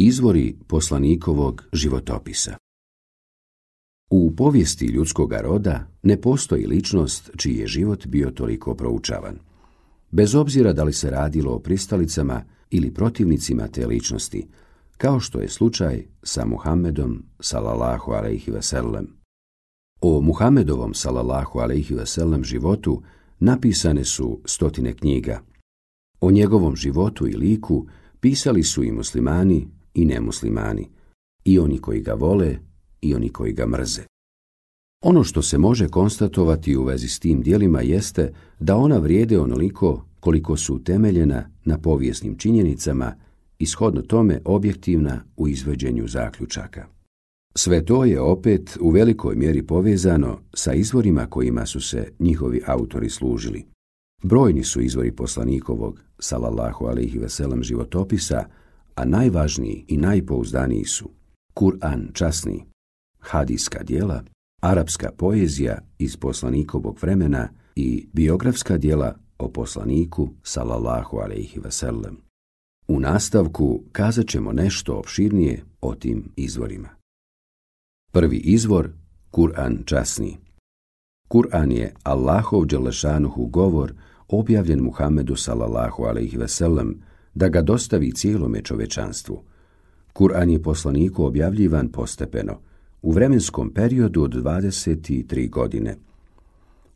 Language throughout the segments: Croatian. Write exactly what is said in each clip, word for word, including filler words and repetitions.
Izvori poslanikovog životopisa. U povijesti ljudskoga roda ne postoji ličnost čiji je život bio toliko proučavan. Bez obzira da li se radilo o pristalicama ili protivnicima te ličnosti, kao što je slučaj sa Muhammedom sallallahu alejhi ve sellem. O Muhammedovom sallallahu alejhi ve sellem životu napisane su stotine knjiga. O njegovom životu i liku pisali su i muslimani i nemuslimani, i oni koji ga vole i oni koji ga mrze. Ono što se može konstatovati u vezi s tim djelima jeste da ona vrijede onoliko koliko su utemeljena na povijesnim činjenicama i shodno tome objektivna u izvođenju zaključaka. Sve to je opet u velikoj mjeri povezano sa izvorima kojima su se njihovi autori služili. Brojni su izvori poslanikovog sallallahu alejhi ve sellem životopisa, a najvažniji i najpouzdaniji su Kur'an časni, hadijska djela, arapska poezija iz poslanikovog vremena i biografska djela o poslaniku sallallahu alejhi ve sellem. U nastavku kazat ćemo nešto opširnije o tim izvorima. Prvi izvor, Kur'an časni. Kur'an je Allahov dželešanuhu govor objavljen Muhammedu sallallahu alejhi ve sellem da ga dostavi cijelome čovečanstvu. Kur'an je poslaniku objavljivan postepeno, u vremenskom periodu od dvadeset tri godine.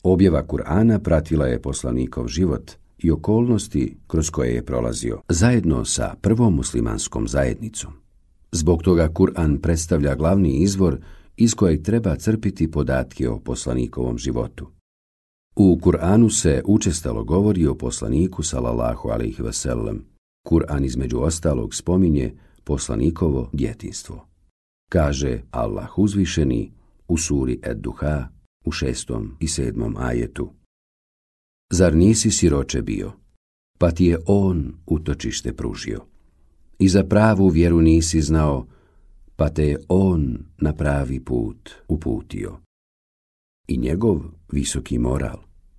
Objava Kur'ana pratila je poslanikov život i okolnosti kroz koje je prolazio, zajedno sa prvom muslimanskom zajednicom. Zbog toga Kur'an predstavlja glavni izvor iz kojeg treba crpiti podatke o poslanikovom životu. U Kur'anu se učestalo govori o poslaniku sallallahu alejhi ve sellem. Kur'an između ostalog spominje poslanikovo djetinjstvo. Kaže Allah uzvišeni u suri Ed-Duha u šestom i sedmom ajetu. Zar nisi siroče bio, pa ti je on utočište pružio? I za pravu vjeru nisi znao, pa te je on na pravi put uputio. I njegov visoki moral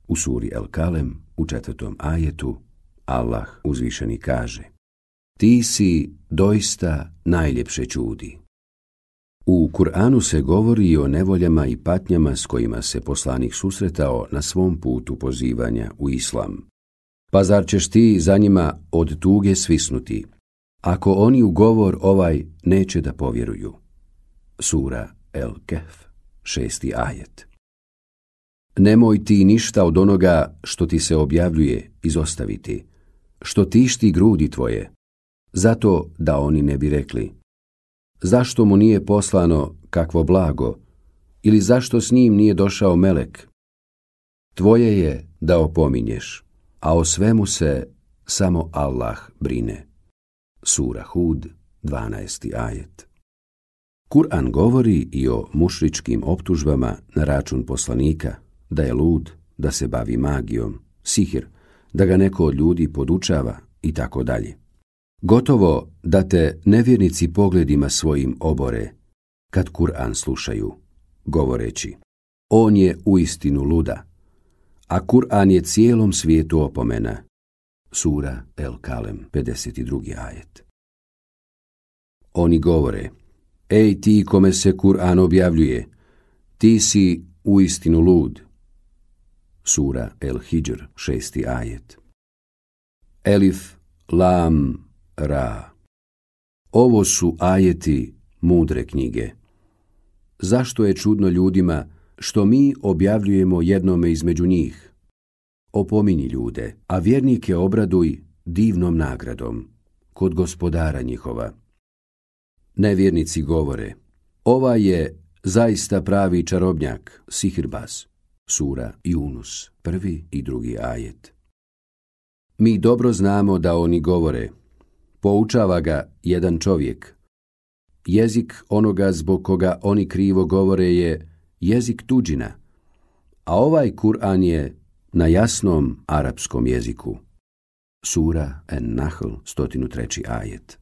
u suri El-Kalem u četvrtom ajetu Allah uzvišeni kaže: Ti si doista najljepše čudi. U Kur'anu se govori o nevoljama i patnjama s kojima se poslanik susretao na svom putu pozivanja u islam. Pa zar ćeš ti za njima od tuge svisnuti, ako oni u govor ovaj neće da povjeruju? Sura El-Kehf, šesti ajet. Nemoj ti ništa od onoga što ti se objavljuje izostaviti, što tišti grudi tvoje, zato da oni ne bi rekli: zašto mu nije poslano kakvo blago, ili zašto s njim nije došao melek? Tvoje je da opominješ, a o svemu se samo Allah brine. Sura Hud, dvanaesti ajet. Kur'an govori i o mušričkim optužbama na račun poslanika, da je lud, da se bavi magijom, sihir, da ga neko od ljudi podučava i tako dalje. Gotovo da te nevjernici pogledima svojim obore, kad Kur'an slušaju, govoreći: on je uistinu luda, a Kur'an je cijelom svijetu opomena. Sura El-Kalem, pedeset drugi ajet. Oni govore: ej ti kome se Kur'an objavljuje, ti si uistinu lud. Sura El-Hidžr, šesti ajet. Elif, lam, ra. Ovo su ajeti mudre knjige. Zašto je čudno ljudima što mi objavljujemo jednome između njih? Opominji ljude, a vjernike obraduj divnom nagradom kod gospodara njihova. Nevjernici govore: ova je zaista pravi čarobnjak, sihirbaz. Sura Yunus, prvi i drugi ajet. Mi dobro znamo da oni govore: poučava ga jedan čovjek. Jezik onoga zbog koga oni krivo govore je jezik tuđina, a ovaj Kur'an je na jasnom arapskom jeziku. Sura En-Nahl, sto treći ajet.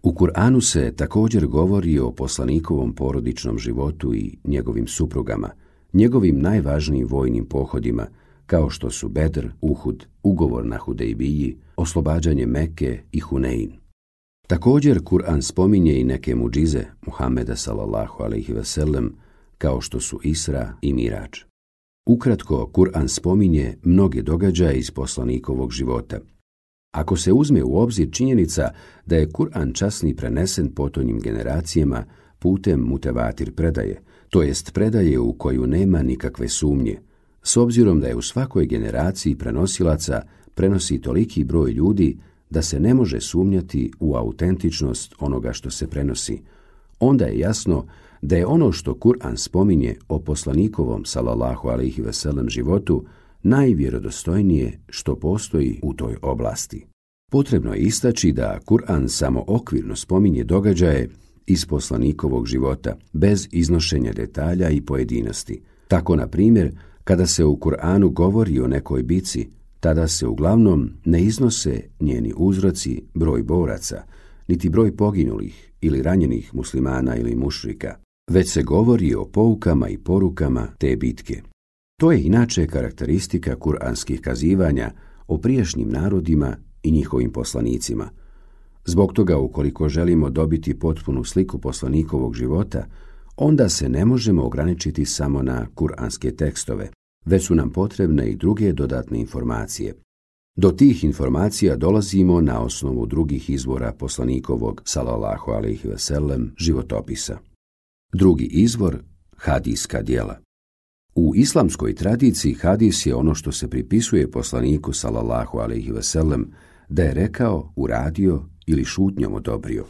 U Kur'anu se također govori o poslanikovom porodičnom životu i njegovim suprugama, njegovim najvažnijim vojnim pohodima, kao što su Bedr, Uhud, ugovor na Hudejbiji, oslobađanje Mekke i Hunein. Također, Kur'an spominje i neke muđize Muhameda sallallahu alejhi ve sellem, kao što su Isra i Mirađ. Ukratko, Kur'an spominje mnoge događaje iz poslanikovog života. Ako se uzme u obzir činjenica da je Kur'an časni prenesen potonjim generacijama putem mutevatir predaje, to jest predaje u koju nema nikakve sumnje, s obzirom da je u svakoj generaciji prenosilaca prenosi toliki broj ljudi da se ne može sumnjati u autentičnost onoga što se prenosi, onda je jasno da je ono što Kur'an spominje o poslanikovom sallallahu alejhi ve sellem životu najvjerodostojnije što postoji u toj oblasti. Potrebno je istaći da Kur'an samo okvirno spominje događaje iz poslanikovog života, bez iznošenja detalja i pojedinosti. Tako, na primjer, kada se u Kur'anu govori o nekoj bici, tada se uglavnom ne iznose njeni uzroci, broj boraca, niti broj poginulih ili ranjenih muslimana ili mušrika, već se govori o poukama i porukama te bitke. To je inače karakteristika kuranskih kazivanja o prijašnjim narodima i njihovim poslanicima. Zbog toga, ukoliko želimo dobiti potpunu sliku poslanikovog života, onda se ne možemo ograničiti samo na kuranske tekstove, već su nam potrebne i druge dodatne informacije. Do tih informacija dolazimo na osnovu drugih izvora poslanikovog sallallahu alejhi ve sellem životopisa. Drugi izvor, hadijska djela. U islamskoj tradiciji hadis je ono što se pripisuje poslaniku sallallahu alejhi ve sellem da je rekao, uradio ili šutnjom odobrio.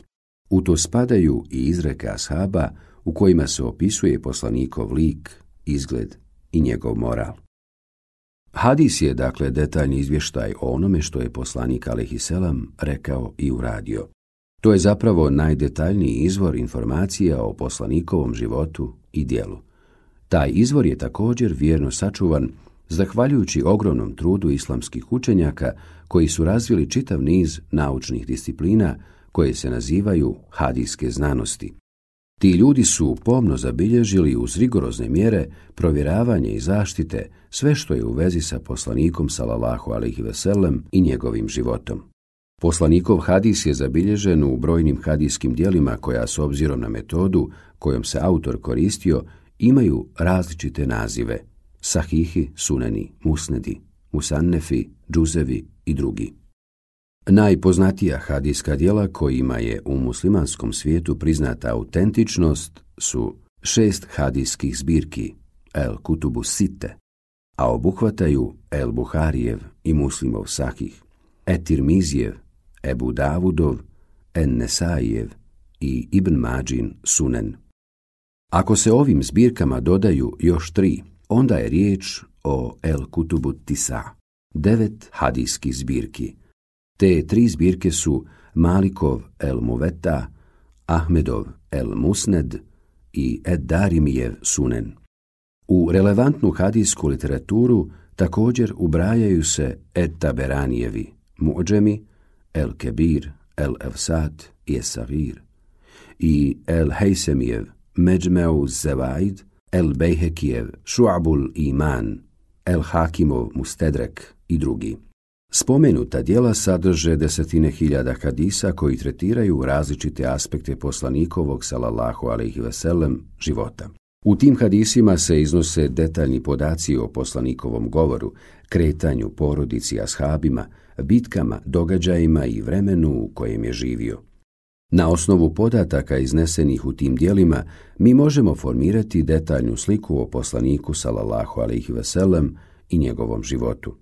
U to spadaju i izreke ashaba u kojima se opisuje poslanikov lik, izgled i njegov moral. Hadis je, dakle, detaljni izvještaj o onome što je poslanik alejhiselam rekao i uradio. To je zapravo najdetaljniji izvor informacija o poslanikovom životu i djelu. Taj izvor je također vjerno sačuvan zahvaljujući ogromnom trudu islamskih učenjaka koji su razvili čitav niz naučnih disciplina koje se nazivaju hadijske znanosti. Ti ljudi su pomno zabilježili uz rigorozne mjere provjeravanje i zaštite sve što je u vezi sa poslanikom sallallahu alejhi ve sellem i njegovim životom. Poslanikov hadis je zabilježen u brojnim hadijskim djelima koja, s obzirom na metodu kojom se autor koristio, imaju različite nazive: sahihi, suneni, musnedi, musannefi, džuzevi i drugi. Najpoznatija hadijska djela kojima je u muslimanskom svijetu priznata autentičnost su šest hadijskih zbirki, El Kutubu Sitte, a obuhvataju El Buharijev i Muslimov Sahih, Et-Tirmizijev, Ebu Davudov, En-Nesaijev i Ibn Mađin Sunen. Ako se ovim zbirkama dodaju još tri, onda je riječ o El Kutubu Tisa, devet hadijskih zbirki. Te tri zbirke su Malikov El Muveta, Ahmedov El Musned i Ed-Darimijev Sunen. U relevantnu hadijsku literaturu također ubrajaju se Ed-Taberanijevi Mu'džemi, El Kebir, El Evsat i Es-Sagir i El Hejsemijev Međmeu Zevaid, El Bejhekijev Šu'abul Iman, El Hakimov Mustedrek i drugi. Spomenuta djela sadrže desetine hiljada hadisa koji tretiraju različite aspekte poslanikovog sallallahu alejhi ve sellem života. U tim hadisima se iznose detaljni podaci o poslanikovom govoru, kretanju, porodici, ashabima, bitkama, događajima i vremenu u kojem je živio. Na osnovu podataka iznesenih u tim djelima mi možemo formirati detaljnu sliku o poslaniku sallallahu alejhi ve sellem i njegovom životu.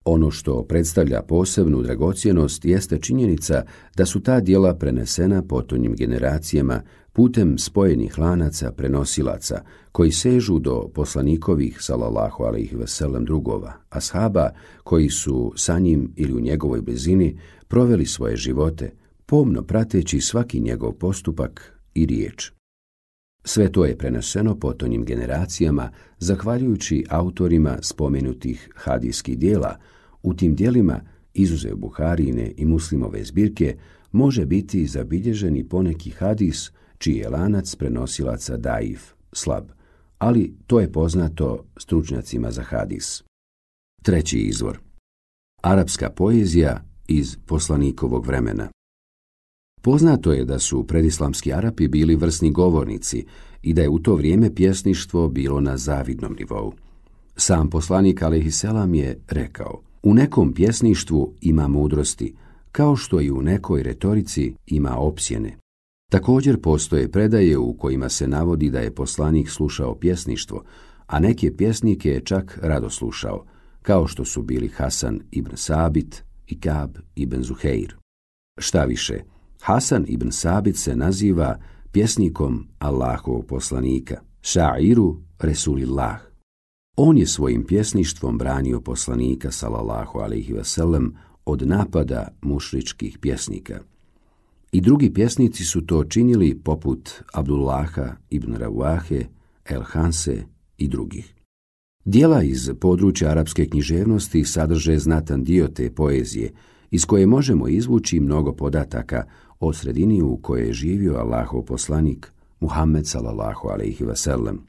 Ono što predstavlja posebnu dragocjenost jeste činjenica da su ta djela prenesena potonjim generacijama putem spojenih lanaca prenosilaca koji sežu do poslanikovih sallallahu alejhi ve sellem drugova, ashaba koji su sa njim ili u njegovoj blizini proveli svoje živote, pomno prateći svaki njegov postupak i riječ. Sve to je preneseno potonjim generacijama zahvaljujući autorima spomenutih hadijskih djela. U tim djelima, izuzev Buharijine i Muslimove zbirke, može biti zabilježen i poneki hadis čiji je lanac prenosilaca daif, slab, ali to je poznato stručnjacima za hadis. Treći izvor. Arapska poezija iz poslanikovog vremena. Poznato je da su predislamski Arapi bili vrsni govornici i da je u to vrijeme pjesništvo bilo na zavidnom nivou. Sam poslanik alejhiselam je rekao: u nekom pjesništvu ima mudrosti, kao što i u nekoj retorici ima opsjene. Također postoje predaje u kojima se navodi da je poslanik slušao pjesništvo, a neke pjesnike je čak rado slušao, kao što su bili Hasan ibn Sabit i Kab ibn Zuheir. Šta više, Hasan ibn Sabit se naziva pjesnikom Allahovog poslanika, ša'iru Resulillah. On je svojim pjesništvom branio poslanika sallallahu alejhi ve sellem od napada mušričkih pjesnika. I drugi pjesnici su to činili poput Abdullaha ibn Rawahe, El Hanse i drugih. Dijela iz područja arapske književnosti sadrže znatan dio te poezije, iz koje možemo izvući mnogo podataka o sredini u kojoj je živio Allahov poslanik Muhammed sallallahu alejhi ve sellem.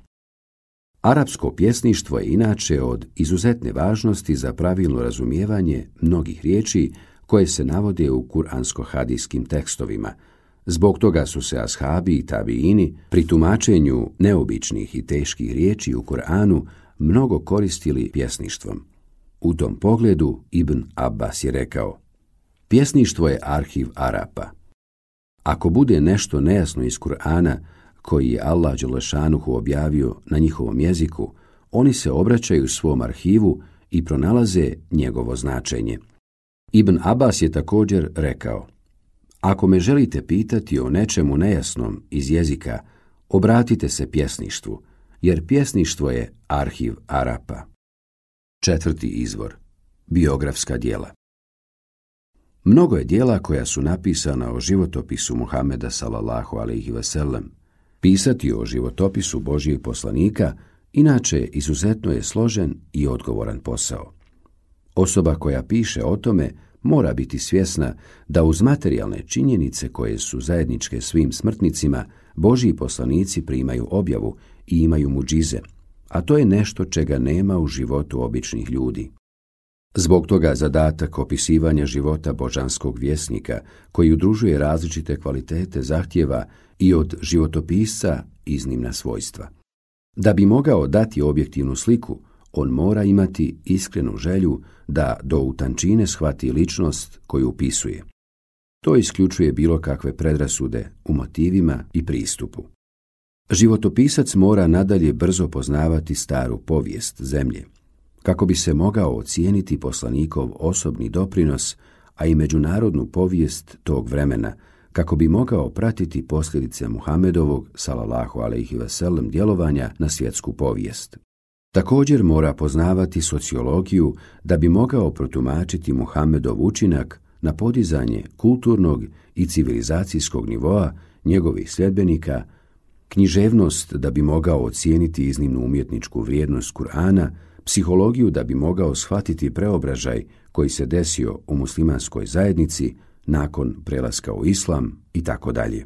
Arapsko pjesništvo je inače od izuzetne važnosti za pravilno razumijevanje mnogih riječi koje se navode u kuransko-hadijskim tekstovima. Zbog toga su se ashabi i tabiini pri tumačenju neobičnih i teških riječi u Kur'anu mnogo koristili pjesništvom. U tom pogledu Ibn Abbas je rekao: pjesništvo je arhiv Arapa. Ako bude nešto nejasno iz Kur'ana koji je Allah dželešanuhu objavio na njihovom jeziku, oni se obraćaju svom arhivu i pronalaze njegovo značenje. Ibn Abbas je također rekao: ako me želite pitati o nečemu nejasnom iz jezika, obratite se pjesništvu, jer pjesništvo je arhiv Arapa. Četvrti izvor. Biografska djela. Mnogo je djela koja su napisana o životopisu Muhameda sallallahu alejhi ve sellem. Pisati o životopisu Božijeg poslanika inače izuzetno je složen i odgovoran posao. Osoba koja piše o tome mora biti svjesna da uz materijalne činjenice koje su zajedničke svim smrtnicima, Božji poslanici primaju objavu i imaju muđize, a to je nešto čega nema u životu običnih ljudi. Zbog toga zadatak opisivanja života božanskog vjesnika, koji udružuje različite kvalitete, zahtjeva i od životopisca iznimna svojstva. Da bi mogao dati objektivnu sliku, on mora imati iskrenu želju da do utančine shvati ličnost koju upisuje. To isključuje bilo kakve predrasude u motivima i pristupu. Životopisac mora nadalje brzo poznavati staru povijest zemlje, kako bi se mogao ocijeniti poslanikov osobni doprinos, a i međunarodnu povijest tog vremena, kako bi mogao pratiti posljedice Muhamedovog sallallahu alejhi ve sellem djelovanja na svjetsku povijest. Također mora poznavati sociologiju da bi mogao protumačiti Muhamedov učinak na podizanje kulturnog i civilizacijskog nivoa njegovih sljedbenika, književnost da bi mogao ocijeniti iznimnu umjetničku vrijednost Kur'ana, psihologiju da bi mogao shvatiti preobražaj koji se desio u muslimanskoj zajednici nakon prelaska u islam i tako dalje.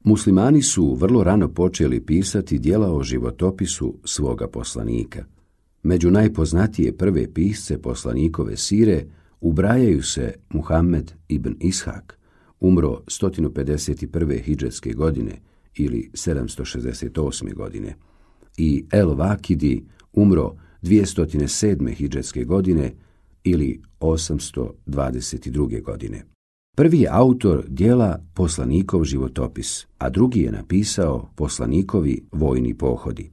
Muslimani su vrlo rano počeli pisati djela o životopisu svoga poslanika. Među najpoznatije prve pisce poslanikove sire ubrajaju se Muhammed ibn Ishak, umro sto pedeset prve hidžetske godine ili sedamsto šezdeset osme godine, i El Vakidi, umro dvjesto sedme hidžetske godine ili osamsto dvadeset druge godine. Prvi je autor djela Poslanikov životopis, a drugi je napisao Poslanikovi vojni pohodi.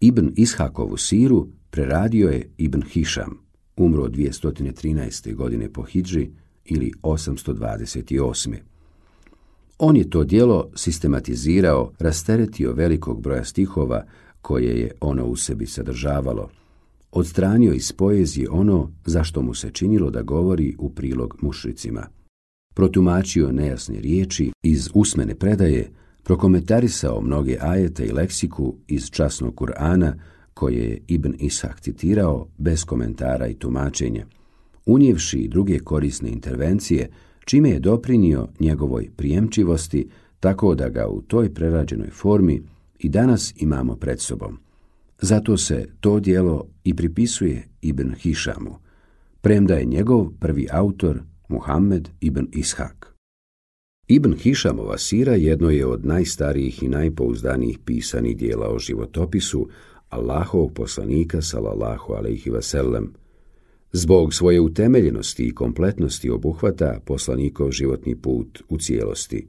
Ibn Ishakovu siru preradio je Ibn Hišam, umro dvjesto trinaeste godine po hidži ili osamsto dvadeset osme. On je to djelo sistematizirao, rasteretio velikog broja stihova koje je ono u sebi sadržavalo, odstranio iz poezije ono zašto mu se činilo da govori u prilog mušricima, protumačio nejasne riječi iz usmene predaje, prokomentarisao mnoge ajete i leksiku iz časnog Kur'ana koje je Ibn Ishak citirao bez komentara i tumačenja, unijevši i druge korisne intervencije, čime je doprinio njegovoj prijemčivosti, tako da ga u toj prerađenoj formi i danas imamo pred sobom. Zato se to djelo i pripisuje Ibn Hišamu, premda je njegov prvi autor Muhammed ibn Ishak. Ibn Hišamova sira jedno je od najstarijih i najpouzdanijih pisanih dijela o životopisu Allahovog poslanika sallallahu alejhi ve sellem. Zbog svoje utemeljenosti i kompletnosti obuhvata poslanikov životni put u cijelosti.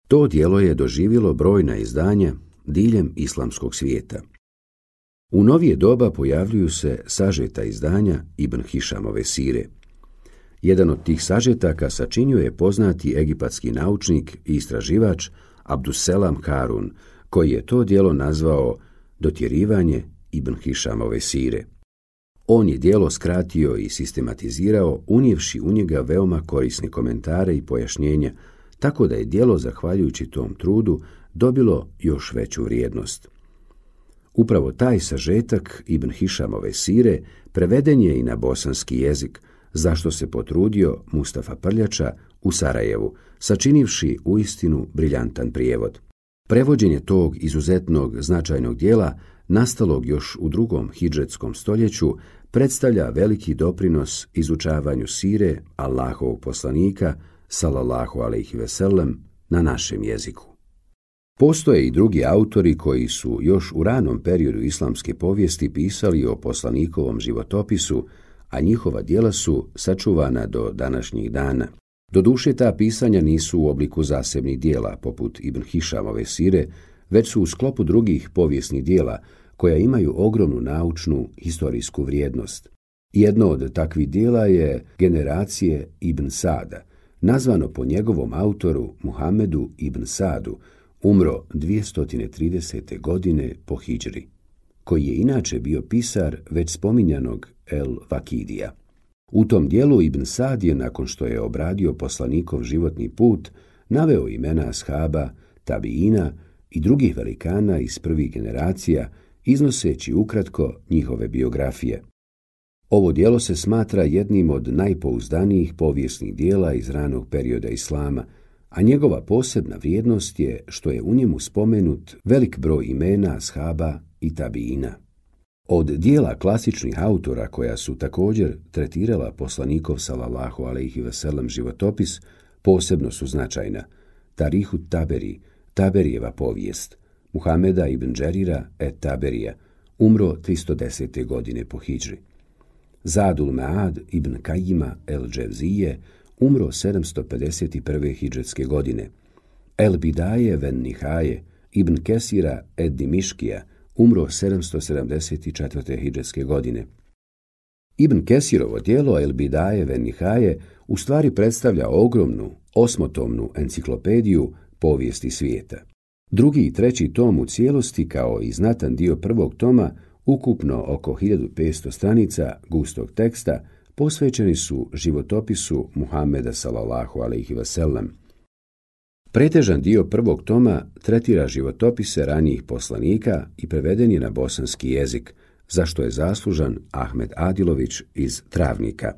To djelo je doživjelo brojna izdanja diljem islamskog svijeta. U novije doba pojavljuju se sažeta izdanja Ibn Hišamove sire. Jedan od tih sažetaka sačinio je poznati egipatski naučnik i istraživač Abdusselam Harun, koji je to djelo nazvao Dotjerivanje Ibn Hišamove sire. On je djelo skratio i sistematizirao, unijevši u njega veoma korisne komentare i pojašnjenja, tako da je djelo, zahvaljujući tom trudu, dobilo još veću vrijednost. Upravo taj sažetak Ibn Hišamove sire preveden je i na bosanski jezik, zašto se potrudio Mustafa Prljača u Sarajevu, sačinivši uistinu briljantan prijevod. Prevođenje tog izuzetnog značajnog djela, nastalog još u drugom hidžetskom stoljeću, predstavlja veliki doprinos izučavanju sire Allahovog poslanika, sallallahu alejhi ve sellem, na našem jeziku. Postoje i drugi autori koji su još u ranom periodu islamske povijesti pisali o poslanikovom životopisu, a njihova djela su sačuvana do današnjih dana. Doduše, ta pisanja nisu u obliku zasebnih djela, poput Ibn Hišamove sire, već su u sklopu drugih povijesnih djela, koja imaju ogromnu naučnu historijsku vrijednost. Jedno od takvih djela je Generacije Ibn Sada, nazvano po njegovom autoru Muhamedu ibn Sadu, umro dvjesto tridesete godine po hidžri, koji je inače bio pisar već spominjanog El Vakidija. U tom dijelu Ibn Sad je, nakon što je obradio poslanikov životni put, naveo imena ashaba, tabiina i drugih velikana iz prvih generacija, iznoseći ukratko njihove biografije. Ovo djelo se smatra jednim od najpouzdanijih povijesnih djela iz ranog perioda islama, a njegova posebna vrijednost je što je u njemu spomenut velik broj imena ashaba i tabiina. Od dijela klasičnih autora koja su također tretirala poslanikov sallallahu alejhi ve sellem životopis, posebno su značajna Tarihu Taberi, Taberijeva povijest, Muhameda ibn Džerira et Taberija, umro tristo desete godine po hidžri. Zadul Ma'ad ibn Kajima el Dževzije, umro sedamsto pedeset prve hidžetske godine. El Bidaje ven Nihaje ibn Kesira et Dimiškija, umro sedamsto sedamdeset četvrte hidžetske godine. Ibn Kesirovo djelo El Bidaje ven Nihaje u stvari predstavlja ogromnu, osmotomnu enciklopediju povijesti svijeta. Drugi i treći tom u cijelosti, kao i znatan dio prvog toma, ukupno oko hiljadu petsto stranica gustog teksta, posvećeni su životopisu Muhameda sallallahu alejhi ve sellem. Pretežan dio prvog toma tretira životopise ranijih poslanika i preveden je na bosanski jezik, za što je zaslužan Ahmed Adilović iz Travnika.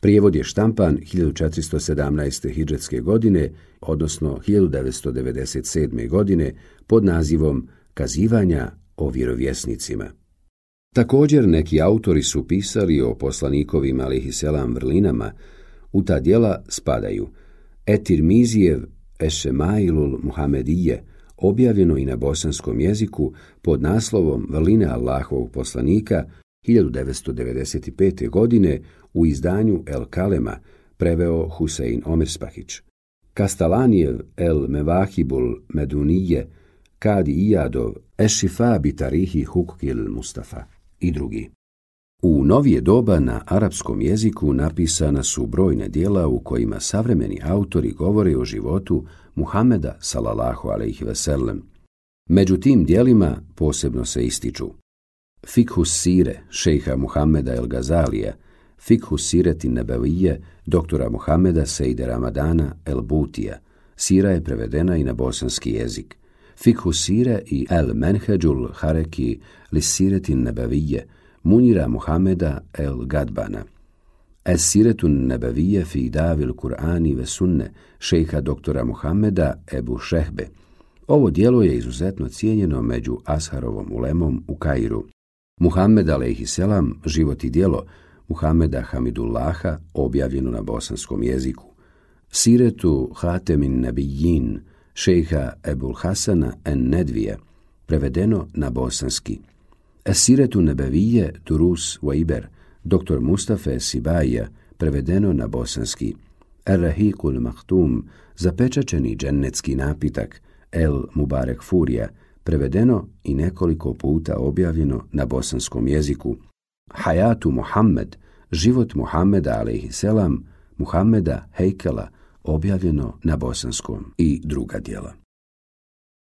Prijevod je štampan hiljadu četiristo sedamnaeste hidžetske godine, odnosno hiljadu devetsto devedeset sedme godine, pod nazivom Kazivanja o vjerovjesnicima. Također neki autori su pisali o poslanikovim alejhiselam vrlinama. U ta djela spadaju Etirmizijev Ešemailul Muhamedije, objavljeno i na bosanskom jeziku pod naslovom Vrline Allahovog poslanika hiljadu devetsto devedeset pete. godine u izdanju El Kalema, preveo Husein Omerspahić. Kastalanijev El Mevahibul Medunije, Kadi Ijadov Ešifa bi tarihi hukukil Mustafa i drugi. U novije doba na arapskom jeziku napisana su brojna djela u kojima savremeni autori govore o životu Muhameda sallallahu alejhi ve sellem. Među tim djelima posebno se ističu Fikhus Sire šejha Muhameda el Gazalija, Fikhus Sireti Nebevije doktora Muhameda Sejde Ramadana el Butija. Sira je prevedena i na bosanski jezik. Fikhus Sire i El Menheđul Hareki li Sireti Nebevije Munira Muhameda el Gadbana. Es Siretun Nebevije fi davil Kur'ani ve sunne šejha doktora Muhameda Ebu Šehbe. Ovo djelo je izuzetno cijenjeno među Asharovom ulemom u Kairu. Muhammed alejhiselam, život i djelo Muhameda Hamidullaha, objavljeno na bosanskom jeziku. Siretu Hatemin Nabijin šejha Ebul Hasana en Nedvija, prevedeno na bosanski. Siretu Nebevije Turus Waiber, doktor Mustafa Sibaija, prevedeno na bosanski. Ar-Rahiqul Maktum, zapečačeni džennetski napitak, El Mubarek Furija, prevedeno i nekoliko puta objavljeno na bosanskom jeziku. Hayatu Muhammed, život Muhammeda alejhiselam, Muhammeda Hejkala, objavljeno na bosanskom, i druga djela.